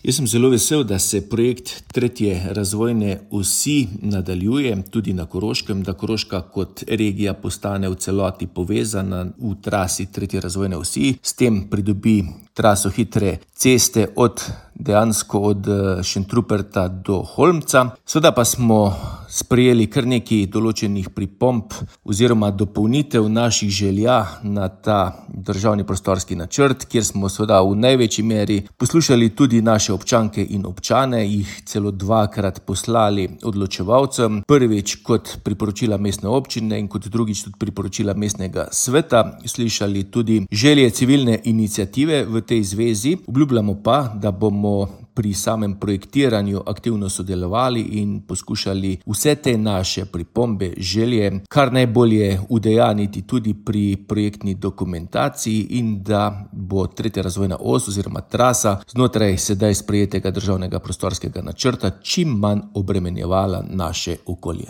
Jaz sem zelo vesel, da se projekt tretje razvojne osi nadaljuje tudi na Koroškem, da Koroška kot regija postane v celoti povezana v trasi tretje razvojne osi. S tem pridobi traso hitre ceste dejansko od Šentruperta do Holmca. Seveda pa smo sprejeli kar nekaj določenih pripomb oziroma dopolnitev naših želja na ta državni prostorski načrt, kjer smo seveda v največji meri poslušali tudi naše občanke in občane, jih celo dvakrat poslali odločevalcem. Prvič kot priporočila mestne občine in kot drugič tudi priporočila mestnega sveta. Slišali tudi želje civilne iniciative v tej zvezi. Obljubljamo pa, da bomo pri samem projektiranju aktivno sodelovali in poskušali vse te naše pripombe, želje kar najbolje udejaniti tudi pri projektni dokumentaciji in da bo tretja razvojna os oziroma trasa znotraj sedaj sprejetega državnega prostorskega načrta čim manj obremenjevala naše okolje.